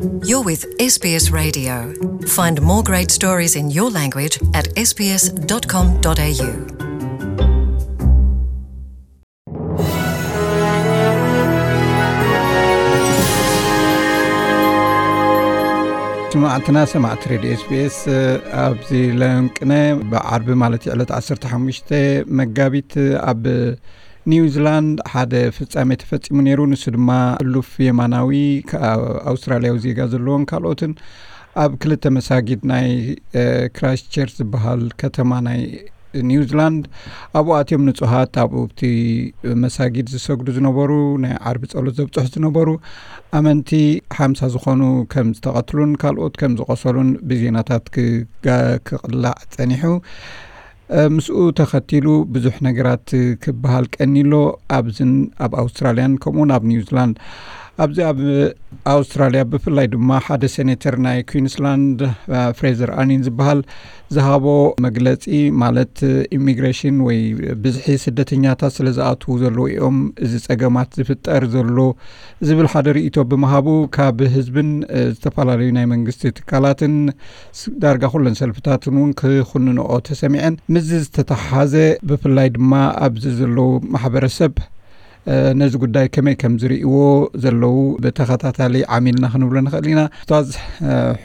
You're with S B S Radio. Find more great stories in your language at S B S dot com dot A U. ስማዕትና ሰማዕቲ ሬድዮ ኤስቢኤስ፣ ኣብዚ ለንቅነ ብዓርቢ ማለት ዕለት ዓሰርተ ሓሙሽተ መጋቢት ኣብ ኒውዚላንድ ሓደ ፍጻሜ ተፈጺሙ ነይሩ። ንሱ ድማ ሕሉፍ የማናዊ ኣውስትራልያዊ ዜጋ ዘለዎን ካልኦትን ኣብ ክልተ መሳጊድ ናይ ክራይስት ቸርች ዝበሃል ከተማ ናይ ኒውዚላንድ ኣብኡ ኣትዮም ንጹሃት ኣብኡ ኣብቲ መሳጊድ ዝሰግዱ ዝነበሩ ናይ ዓርቢ ጸሎት ዘብጽሑ ዝነበሩ ኣመንቲ ሓምሳ ዝኾኑ ከም ዝተቐትሉን ካልኦት ከም ዝቆሰሉን ብዜናታት ክቅላዕ ጸኒሑ። ምስኡ ተኸቲሉ ብዙሕ ነገራት ክበሃል ቀኒሎ ኣብዝን ኣብ ኣውስትራልያን ከምኡውን ኣብ ኒውዚላንድ። ኣብዚ ኣብ ኣውስትራልያ ብፍላይ ድማ ሓደ ሴኔተር ናይ ኩንስላንድ ፍሬዘር ኣኒን ዝበሃል ዝሃቦ መግለጺ ማለት ኢሚግሬሽን ወይ ብዝሒ ስደተኛታት ስለ ዝኣትዉ ዘለዉ እዮም እዚ ጸገማት ዝፍጠር ዘሎ ዝብል ሓደ ርእይቶ ብምሃቡ ካብ ህዝብን ዝተፈላለዩ ናይ መንግስቲ ትካላትን ዳርጋ ኩለን ሰልፍታትን እውን ክኹንንኦ ተሰሚዐን። ምስዚ ዝተተሓሓዘ ብፍላይ ድማ ኣብዚ ዘለዉ ማሕበረሰብ ነዚ ጉዳይ ከመይ ከም ዝርእይዎ ዘለዉ ብተኸታታሊ ዓሚልና ክንብሎ ንኽእል ኢና። ኡስታዝ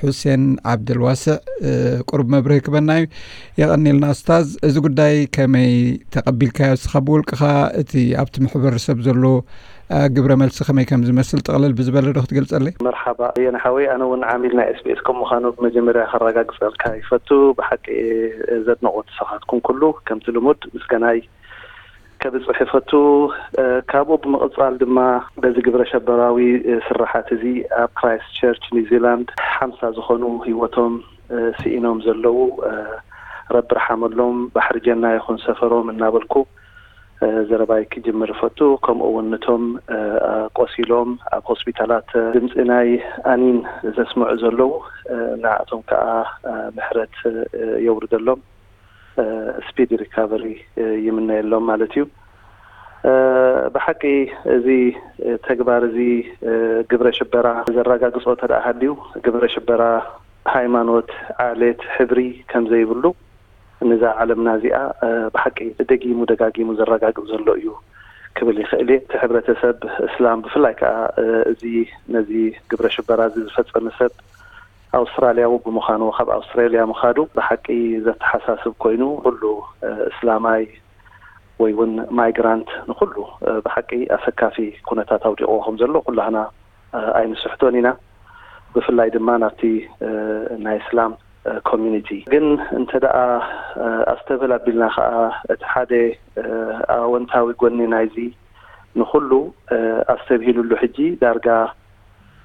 ሑሴን ዓብደልዋስዕ ቁሩብ መብርሂ ክበና እዩ። የቐኒልና ኡስታዝ፣ እዚ ጉዳይ ከመይ ተቐቢልካዮ እስኻ ብውልቅኻ? እቲ ኣብቲ ማሕበረሰብ ዘሎ ግብረ መልሲ ከመይ ከም ዝመስል ጥቕልል ብዝበለ ዶ ክትገልጸለይ? መርሓባ የነ ሓወይ፣ ኣነ እውን ዓሚል ናይ ኤስቢኤስ ከም ምዃኑ ብመጀመርያ ከረጋግጸልካ ይፈቱ። ብሓቂ ዘድነቑ ንስኻትኩም ኩሉ ከምቲ ልሙድ ምስጋናይ ከብጽሕ ይፈቱ። ካብኡ ብምቕጻል ድማ በዚ ግብረ ሸበራዊ ስርሓት እዚ ኣብ ክራይስት ቸርች ኒውዚላንድ ሓምሳ ዝኾኑ ህይወቶም ስኢኖም ዘለዉ ረቢ ርሓመሎም፣ ባሕሪ ጀና ይኹን ሰፈሮም እናበልኩ ዘረባይ ክጅምር እፈቱ። ከምኡ እውን ነቶም ቆሲሎም ኣብ ሆስፒታላት ድምፂ ናይ ኣኒን ዘስምዑ ዘለዉ ንዓቶም ከዓ ምሕረት የውርደሎም፣ ስፒድ ሪካቨሪ ይምነየሎም ማለት እዩ። ብሓቂ እዚ ተግባር እዚ ግብረ ሽበራ ዘረጋግፆ ተደኣ ሃልዩ ግብረ ሽበራ ሃይማኖት፣ ዓሌት፣ ሕብሪ ከም ዘይብሉ ነዛ ዓለምና እዚኣ ብሓቂ ደጊሙ ደጋጊሙ ዘረጋግጽ ዘሎ እዩ ክብል ይኽእል እየ። እቲ ሕብረተሰብ እስላም ብፍላይ ከኣ እዚ ነዚ ግብረ ሽበራ እዚ ዝፈጸመ ሰብ ኣውስትራልያዊ ብምዃኑ ካብ ኣውስትራልያ ምኻዱ ብሓቂ ዘተሓሳስብ ኮይኑ ኩሉ እስላማይ ወይ እውን ማይግራንት ንኩሉ ብሓቂ ኣሰካፊ ኩነታት ኣውዲቕዎ ከም ዘሎ ኩላህና ኣይንስሕቶን ኢና። ብፍላይ ድማ ናብቲ ናይ እስላም ኮሚኒቲ ግን እንተ ደኣ ኣስተብህል ኣቢልና ከኣ እቲ ሓደ ኣወንታዊ ጎኒ ናይዚ ንኹሉ ኣስተብሂሉሉ ሕጂ ዳርጋ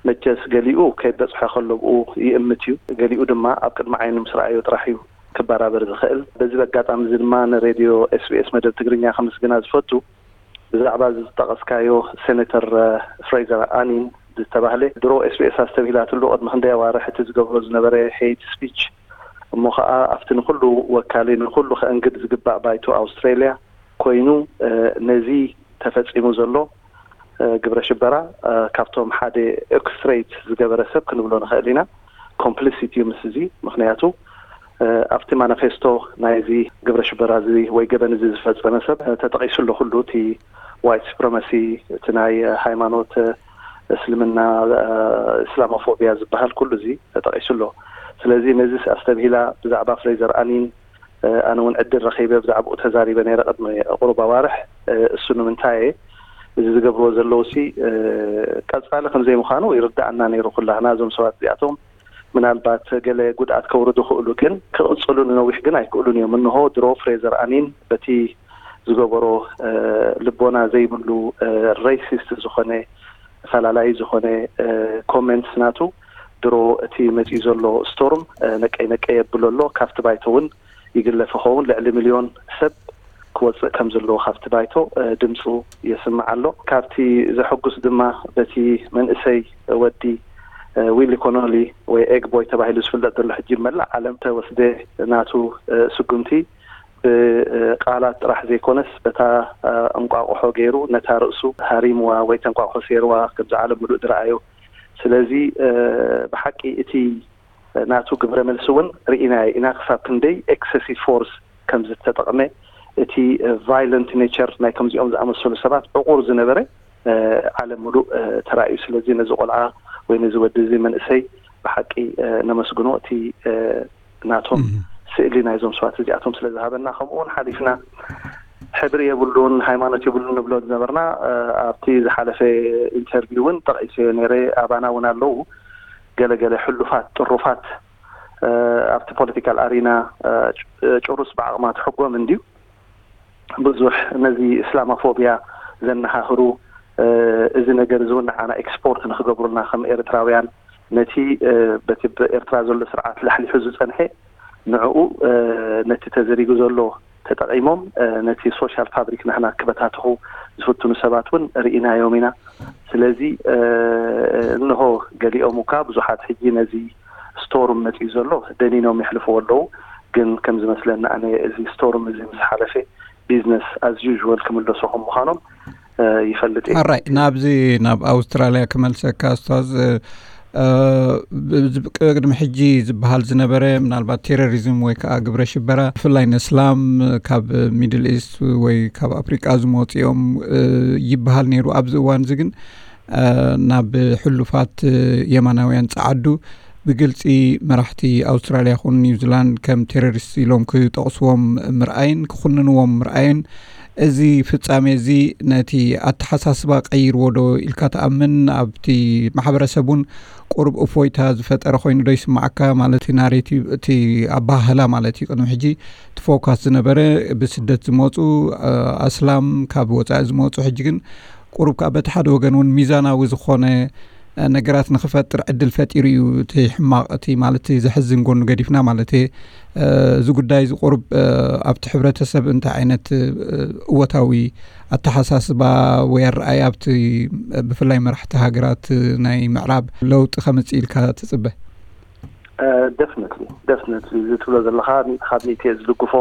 መቸስ ገሊኡ ከይበጽሖ ከሎ ብኡ ይእምት እዩ፣ ገሊኡ ድማ ኣብ ቅድሚ ዓይኑ ምስ ረኣዮ ጥራሕ እዩ ክበራበር ዝኽእል። በዚ ኣጋጣሚ እዚ ድማ ንሬድዮ ኤስቢኤስ መደብ ትግርኛ ከመስግና ዝፈቱ። ብዛዕባ እዚ ዝጠቐስካዮ ሴኔተር ፍሬዘር ኣኒን ዝተባህለ ድሮ ኤስቢኤስ ኣስተብሂላትሉ ቅድሚ ክንደይ ኣዋርሕ እቲ ዝገብሮ ዝነበረ ሄይት ስፒች እሞ ከዓ ኣብቲ ንኩሉ ወካሊ ንኩሉ ከእንግድ ዝግባእ ባይቶ ኣውስትሬልያ ኮይኑ ነዚ ተፈፂሙ ዘሎ ግብረ ሽበራ ካብቶም ሓደ ኦርኬስትሬት ዝገበረ ሰብ ክንብሎ ንኽእል ኢና። ኮምፕሊሲት እዩ ምስ እዚ ምክንያቱ ኣብቲ ማኒፌስቶ ናይዚ ግብረ ሽበራ እዚ ወይ ገበን እዚ ዝፈጸመ ሰብ ተጠቒሱ ኣሎ ኩሉ እቲ ዋይት ሱፕረማሲ፣ እቲ ናይ ሃይማኖት እስልምና እስላሞፎቢያ ዝበሃል ኩሉ እዚ ተጠቒሱ ኣሎ። ስለዚ ነዚ ኣስተብሂላ ብዛዕባ ፍሬዘር ኣኒን ኣነ እውን ዕድል ረኺበ ብዛዕባኡ ተዛሪበ ነይረ ቅድሚ ቁሩብ ኣዋርሕ። እሱ ንምንታይ እየ እዚ ዝገብርዎ ዘለዉ ሲ ቀጻሊ ከም ዘይምዃኑ ይርዳኣና ነይሩ ኩላህና እዞም ሰባት እዚኣቶም ምናልባት ገለ ጉድኣት ከውርዱ ክእሉ ግን ክቕጽሉ ንነዊሕ ግን ኣይክእሉን እዮም። እንሆ ድሮ ፍሬዘር ኣኒን በቲ ዝገበሮ ልቦና ዘይብሉ ሬሲስት ዝኾነ ፈላላይ ዝኾነ ኮሜንትስ ናቱ ድሮ እቲ መፂኡ ዘሎ ስቶርም ነቀይ ነቀይ የብሎ ኣሎ። ካብቲ ባይቶ እውን ይግለፍ ይኸውን ልዕሊ ሚልዮን ሰብ ክወፅእ ከም ዘለዎ ካብቲ ባይቶ ድምፁ የስምዕ ኣሎ። ካብቲ ዘሐጉስ ድማ በቲ መንእሰይ ወዲ ዊሊ ኮኖሊ ወይ ኤግ ቦይ ተባሂሉ ዝፍለጥ ዘሎ ሕጂ መላእ ዓለም ተወስደ ናቱ ስጉምቲ ብቃላት ጥራሕ ዘይኮነስ በታ እንቋቑሖ ገይሩ ነታ ርእሱ ሃሪምዋ ወይ ተንቋቑሖ ሰይርዋ ከምዚ ዓለም ምሉእ ዝረኣዮ ስለዚ ብሓቂ እቲ ናቱ ግብረ መልሲ እውን ርኢናዮ ኢና፣ ክሳብ ክንደይ ኤክሰሲቭ ፎርስ ከም ዝተጠቕመ፣ እቲ ቫይለንት ኔቸር ናይ ከምዚኦም ዝኣመሰሉ ሰባት ዕቑር ዝነበረ ዓለም ሙሉእ ተራእዩ። ስለዚ ነዚ ቆልዓ ወይ ነዚ ወዲ እዚ መንእሰይ ብሓቂ ነመስግኖ። እቲ ናቶም ስእሊ ናይዞም ሰባት እዚኣቶም ስለ ዝሃበና፣ ከምኡ እውን ሓሊፍና ሕብሪ የብሉን፣ ሃይማኖት የብሉን ንብሎ ዝነበርና፣ ኣብቲ ዝሓለፈ ኢንተርቪው እውን ጠቒሰዮ ነይረ። ኣባና እውን ኣለዉ ገለገለ ሕሉፋት ጥሩፋት ኣብቲ ፖለቲካል ኣሪና፣ ጭሩስ ብዓቕማ ትሕጎም እንድዩ። ብዙሕ ነዚ እስላማፎቢያ ዘነሃህሩ፣ እዚ ነገር እዚ እውን ንዓና ኤክስፖርት ንክገብሩልና ከም ኤርትራውያን፣ ነቲ በቲ ብኤርትራ ዘሎ ስርዓት ላሕሊሑ ዝጸንሐ፣ ንዕኡ ነቲ ተዘሪጉ ዘሎ ተጠቒሞም ነቲ ሶሻል ፋብሪክ ናህና ክበታትኹ ዝፍትኑ ሰባት እውን ርኢናዮም ኢና። ስለዚ እንሆ ገሊኦም እኳ ብዙሓት ሕጂ ነዚ ስቶርም መጺኡ ዘሎ ደኒኖም የሕልፍዎ ኣለዉ። ግን ከም ዝመስለኒ ኣነ እዚ ስቶርም እዚ ምስ ሓለፈ ቢዝነስ ኣዝ ዩዥዋል ክምለሱ ከም ምዃኖም ይፈልጥ እየ። ኣራይ ናብዚ ናብ ኣውስትራልያ ክመልሰካ ኣስታዝ። ቅድሚ ሕጂ ዝበሃል ዝነበረ ምናልባት ቴሮሪዝም ወይ ከዓ ግብረ ሽበራ ብፍላይ ነስላም ካብ ሚድል ኢስት ወይ ካብ ኣፍሪቃ ዝመፅኦም ይበሃል ነይሩ። ኣብዚ እዋን እዚ ግን ናብ ሕሉፋት የማናውያን ጸዓዱ ብግልጺ መራሕቲ ኣውስትራልያ ይኹን ኒውዚላንድ ከም ቴሮሪስት ኢሎም ክጠቕስዎም ምርኣይን ክኹንንዎም ምርኣይን፣ እዚ ፍጻሜ እዚ ነቲ ኣተሓሳስባ ቀይርዎ ዶ ኢልካ ትኣምን? ኣብቲ ማሕበረሰብ እውን ቁሩብ እፎይታ ዝፈጠረ ኮይኑ ዶ ይስምዓካ? ማለት እቲ ናሬቲቭ፣ እቲ ኣባህላ ማለት እዩ። ቅድሚ ሕጂ እቲ ፎካስ ዝነበረ ብስደት ዝመፁ ኣስላም ካብ ወፃኢ ዝመፁ፣ ሕጂ ግን ቁሩብ ከዓ በቲ ሓደ ወገን እውን ሚዛናዊ ዝኾነ ነገራት ንክፈጥር ዕድል ፈጢሩ እዩ። እቲ ሕማቕ፣ እቲ ማለት ዘሕዝን ጎኑ ገዲፍና ማለት እየ። እዚ ጉዳይ እዚ ቁሩብ ኣብቲ ሕብረተሰብ እንታይ ዓይነት እወታዊ ኣተሓሳስባ ወይ ኣረኣይ ኣብቲ ብፍላይ መራሕቲ ሃገራት ናይ ምዕራብ ለውጢ ከምፅእ ኢልካ ትፅበ? ደፍነትሊ ደፍነትሊ እዚ ትብሎ ዘለኻ ካብ ሚእቲ እየ ዝድግፎ።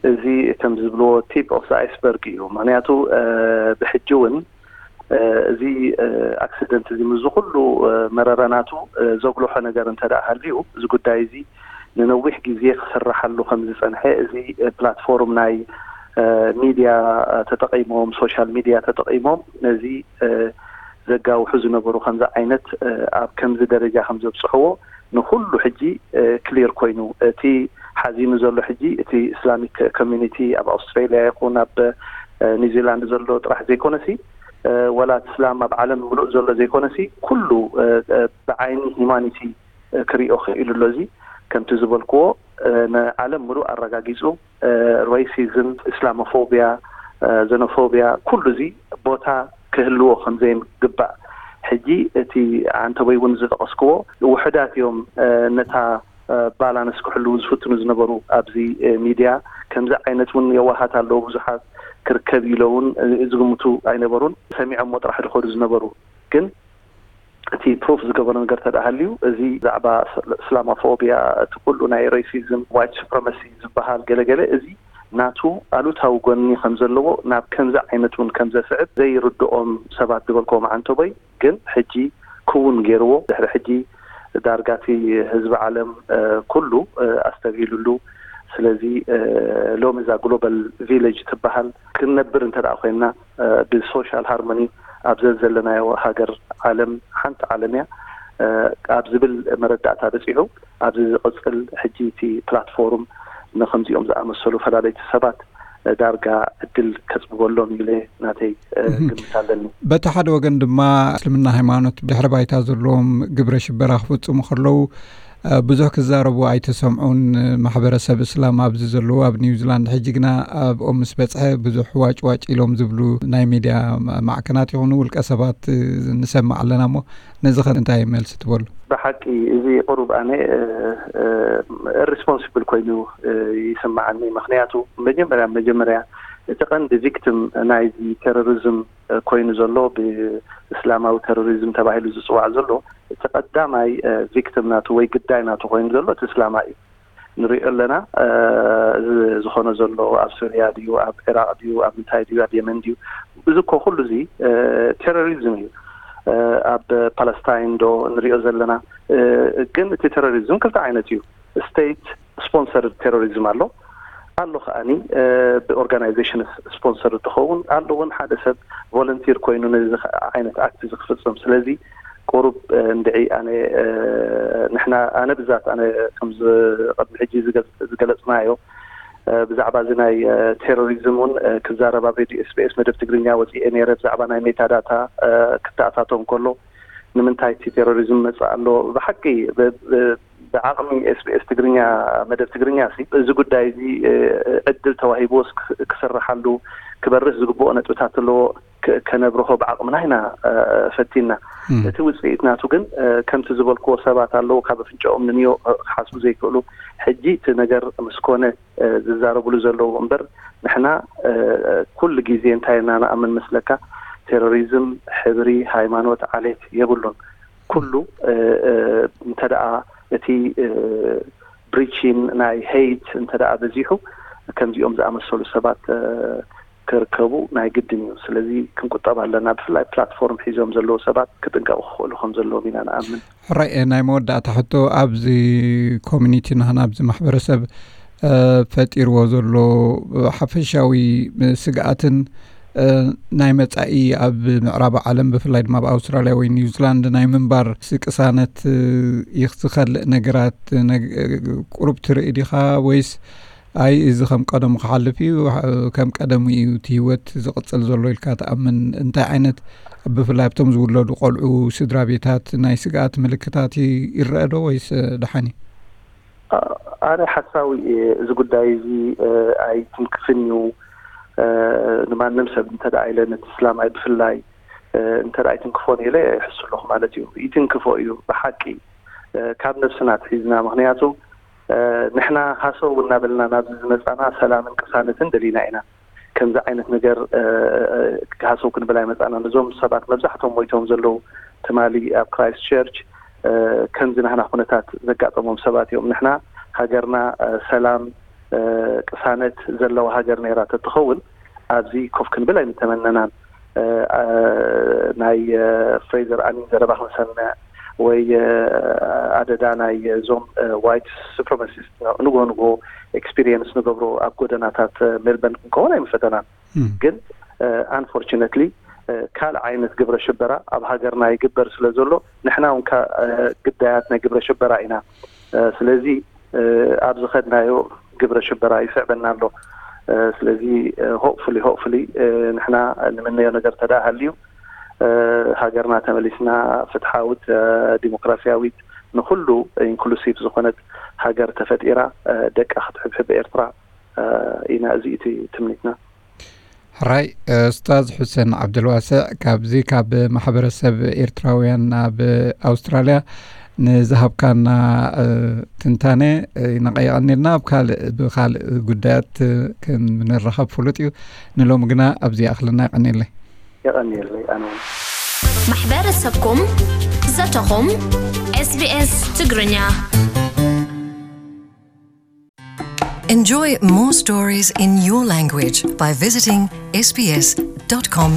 እዚ ከም ዝብልዎ ቲፕ ኦፍ ኣይስበርግ እዩ። ምክንያቱ ብሕጂ እውን እዚ ኣክሲደንት እዚ ምስዚ ኩሉ መረረናቱ ዘጉልሖ ነገር እንተ ደኣ ሃልዩ፣ እዚ ጉዳይ እዚ ንነዊሕ ግዜ ክስራሓሉ ከም ዝጸንሐ፣ እዚ ፕላትፎርም ናይ ሚድያ ተጠቒሞም፣ ሶሻል ሚድያ ተጠቒሞም ነዚ ዘጋውሑ ዝነበሩ ከምዚ ዓይነት ኣብ ከምዚ ደረጃ ከም ዘብጽሕዎ ንኹሉ ሕጂ ክሊር ኮይኑ፣ እቲ ሓዚኑ ዘሎ ሕጂ እቲ እስላሚክ ኮሚኒቲ ኣብ ኣውስትራሊያ ይኹን ኣብ ኒውዚላንድ ዘሎ ጥራሕ ዘይኮነሲ፣ ወላ እቲ እስላም ኣብ ዓለም ምሉእ ዘሎ ዘይኮነሲ፣ ኩሉ ብዓይኒ ሂማኒቲ ክሪኦ ክኢሉ ኣሎ። እዚ ከምቲ ዝበልክዎ ንዓለም ምሉእ ኣረጋጊጹ፣ ሬሲዝም፣ እስላሞፎቢያ፣ ዘኖፎቢያ፣ ኩሉ እዚ ቦታ ክህልዎ ከም ዘይግባእ፣ ሕጂ እቲ ዓንተቦይ እውን ዝጠቐስክዎ ውሑዳት እዮም ነታ ባላንስ ክሕልዉ ዝፍትኑ ዝነበሩ። ኣብዚ ሚድያ ከምዚ ዓይነት እውን የዋሃት ኣለዉ፣ ብዙሓት ክርከብ ኢሎ እውን ዝግምቱ ኣይነበሩን። ሰሚዖሞ ጥራሕ ዝኸዱ ዝነበሩ። ግን እቲ ፕሩፍ ዝገበሮ ነገር ተደኣ ሃልዩ፣ እዚ ብዛዕባ እስላማፎቢያ፣ እቲ ኩሉ ናይ ሬሲዝም፣ ዋይት ሱፕረመሲ ዝበሃል ገለገለ፣ እዚ ናቱ ኣሉታዊ ጎኒ ከም ዘለዎ ናብ ከምዚ ዓይነት እውን ከም ዘስዕብ ዘይርድኦም ሰባት ዝበልክዎም ዓንተቦይ ግን ሕጂ ክውን ገይርዎ። ድሕሪ ሕጂ ዳርጋ እቲ ህዝቢ ዓለም ኩሉ ኣስተብሂሉሉ። ስለዚ ሎሚ እዛ ግሎባል ቪሌጅ ትበሃል ክንነብር እንተ ደኣ ኮይንና፣ ብሶሻል ሃርሞኒ ኣብ ዘዘለናዮ ሃገር ዓለም ሓንቲ ዓለም እያ ኣብ ዝብል መረዳእታ በጺሑ፣ ኣብዚ ዝቕጽል ሕጂ እቲ ፕላትፎርም ንከምዚኦም ዝኣመሰሉ ፈላለይቲ ሰባት ዳርጋ ዕድል ከጽብበሎም ኢለ ናተይ ግምት ኣለኒ። በቲ ሓደ ወገን ድማ እስልምና ሃይማኖት ድሕሪ ባይታ ዘለዎም ግብረ ሽበራ ክፍጽሙ ከለዉ ብዙሕ ክዛረቡ ኣይተሰምዑን። ማሕበረሰብ እስላም ኣብዚ ዘለዉ ኣብ ኒውዚላንድ ሕጂ ግና ኣብኦም ምስ በጽሐ ብዙሕ ዋጭ ዋጭ ኢሎም ዝብሉ ናይ ሚድያ ማዕከናት ይኹኑ ውልቀ ሰባት ንሰምዕ ኣለና። እሞ ነዚ ኸ እንታይ መልሲ ትበሉ? ብሓቂ እዚ ቁሩብ ኣነ ሪስፖንሲብል ኮይኑ ይስምዓኒ። ምክንያቱ መጀመርያ መጀመርያ እቲ ቀንዲ ቪክቲም ናይዚ ቴሮሪዝም ኮይኑ ዘሎ፣ ብእስላማዊ ቴሮሪዝም ተባሂሉ ዝፅዋዕ ዘሎ፣ እቲ ቀዳማይ ቪክቲም ናቱ ወይ ግዳይ ናቱ ኮይኑ ዘሎ እቲ እስላማ እዩ። ንሪኦ ኣለና። እዚ ዝኾነ ዘሎ ኣብ ሱርያ ድዩ፣ ኣብ ዒራቕ ድዩ፣ ኣብ ምንታይ ድዩ፣ ኣብ የመን ድዩ፣ እዚ እኮ ኩሉ እዚ ቴሮሪዝም እዩ። ኣብ ፓለስታይን ዶ ንሪኦ ዘለና። ግን እቲ ቴሮሪዝም ክልተ ዓይነት እዩ። ስቴት ስፖንሰርድ ቴሮሪዝም ኣሎ፣ ኣሎ ከኣኒ ብኦርጋናይዜሽን ስፖንሰርድ ዝኸውን ኣሎ፣ እውን ሓደ ሰብ ቮለንቲር ኮይኑ ነዚ ዓይነት ኣክት ዝክፍፅም። ስለዚ ቁሩብ እንድዒ ኣነ ንሕና ኣነ ብዛት ኣነ ከምዚ ቅድሚ ሕጂ ዝገለፅናዮ ብዛዕባ እዚ ናይ ቴሮሪዝም እውን ክዛረብ ኣብ ሬድዮ ኤስቢኤስ መደብ ትግርኛ ወፂኤ ነይረ። ብዛዕባ ናይ ሜታ ዳታ ክተኣታቶም ከሎ ንምንታይ እቲ ቴሮሪዝም መፅእ ኣሎ? ብሓቂ ብዓቕሚ ኤስቢኤስ ትግርኛ መደብ ትግርኛ ሲ እዚ ጉዳይ እዚ ዕድል ተዋሂብዎስ ክስርሓሉ ክበርህ ዝግብኦ ነጥብታት ኣለዎ። ከነብርሆ ብዓቕምና ኢና ፈቲና። እቲ ውፅኢት ናቱ ግን ከምቲ ዝበልክዎ ሰባት ኣለዉ ካብ ኣፍንጫኦም ንንዮ ክሓስቡ ዘይክእሉ። ሕጂ እቲ ነገር ምስ ኮነ ዝዛረብሉ ዘለዉ እምበር ንሕና ኩሉ ግዜ እንታይ ኢና ንኣምን መስለካ? ቴሮሪዝም ሕብሪ፣ ሃይማኖት፣ ዓሌት የብሉን። ኩሉ እንተ ደኣ እቲ ብሪቺን ናይ ሄይት እንተ ደኣ በዚሑ ከምዚኦም ዝኣመሰሉ ሰባት ክርከቡ ናይ ግድን እዩ። ስለዚ ክንቁጠብ ኣለና። ብፍላይ ፕላትፎርም ሒዞም ዘለዉ ሰባት ክጥንቀቑ ክኽእሉ ከም ዘለዎም ኢና ንኣምን። ሕራይ፣ ናይ መወዳእታ ሕቶ፣ ኣብዚ ኮሚኒቲ ናህና ኣብዚ ማሕበረሰብ ፈጢርዎ ዘሎ ሓፈሻዊ ስግኣትን ናይ መጻኢ ኣብ ምዕራብ ዓለም ብፍላይ ድማ ኣብ ኣውስትራልያ ወይ ኒውዚላንድ ናይ ምንባር ስቅሳነት ይኽዝኸልእ ነገራት ቁሩብ ትርኢ ዲኻ ወይስ ኣይ እዚ ከም ቀደሙ ክሓልፍ እዩ፣ ከም ቀደሙ እዩ እቲ ህይወት ዝቕጽል ዘሎ ኢልካ ትኣምን? እንታይ ዓይነት ብፍላይ ኣብቶም ዝውለዱ ቆልዑ ስድራ ቤታት ናይ ስግኣት ምልክታት ይረአ ዶ ወይስ ደሓን እዩ? ኣነ ሓሳዊ እየ። እዚ ጉዳይ እዚ ኣይትንክፍን እዩ። ንማንም ሰብ እንተ ደኣ ኢለ ነቲ ስላማይ ብፍላይ እንተ ደኣ ኣይትንክፎን ኢለ ይሕሱ ኣለኹ ማለት እዩ። ይትንክፎ እዩ ብሓቂ ካብ ነብስና ትሒዝና። ምክንያቱ ንሕና ሃሰው እናበልና ናብዚ ዝመፃና ሰላምን ቅሳነትን ደሊና ኢና። ከምዚ ዓይነት ነገር ሃሰው ክንብል ኣይመፃና። ነዞም ሰባት መብዛሕቶም ሞይቶም ዘለዉ ትማሊ ኣብ ክራይስት ቸርች ከምዚ ናህና ኩነታት ዘጋጠሞም ሰባት እዮም። ንሕና ሃገርና ሰላም ቅሳነት ዘለዋ ሃገር ነይራ ተትኸውን ኣብዚ ኮፍ ክንብል ኣይምተመነናን። ናይ ፍሬዘር ኣኒን ዘረባ ክንሰምዕ ወይ ኣደዳ ናይ እዞም ዋይት ሱፕረማሲስት ንጎ ንጎ ኤክስፒሪየንስ ንገብሮ ኣብ ጎደናታት ሜልበርን ክንከውን ኣይምፈተናን። ግን ኣንፎርችነትሊ ካልእ ዓይነት ግብረ ሽበራ ኣብ ሃገርና ይግበር ስለ ዘሎ ንሕና እውን ግዳያት ናይ ግብረ ሽበራ ኢና። ስለዚ ኣብ ዝኸድናዮ ግብረ ሽበራ ይስዕበና ኣሎ። ስለዚ ሆፕፉሊ ሆፕፉሊ ንሕና ንምነዮ ነገር ተደኣ ሃልዩ ሃገርና ተመሊስና ፍትሓዊት ዲሞክራሲያዊት ንኩሉ ኢንክሉሲቭ ዝኾነት ሃገር ተፈጢራ ደቃ ክትሕብሕብ ኤርትራ ኢና። እዚ እቲ ትምኒትና። ሕራይ ኡስታዝ ሑሴን ዓብደልዋስዕ ካብዚ ካብ ማሕበረሰብ ኤርትራውያን ኣብ ኣውስትራልያ ንዝሃብካና ትንታነ ይነቐ የቐኒልና። ኣብ ካልእ ብካልእ ጉዳያት ክንራኸብ ፍሉጥ እዩ። ንሎሚ ግና ኣብዚ ይኣኽለና። የቐኒለይ። የቐኒለይ ኣነ እውን። ማሕበረሰብኩም ዘተኹም ኤስቢኤስ ትግርኛ። Enjoy more stories in your language by visiting sbs.com.au.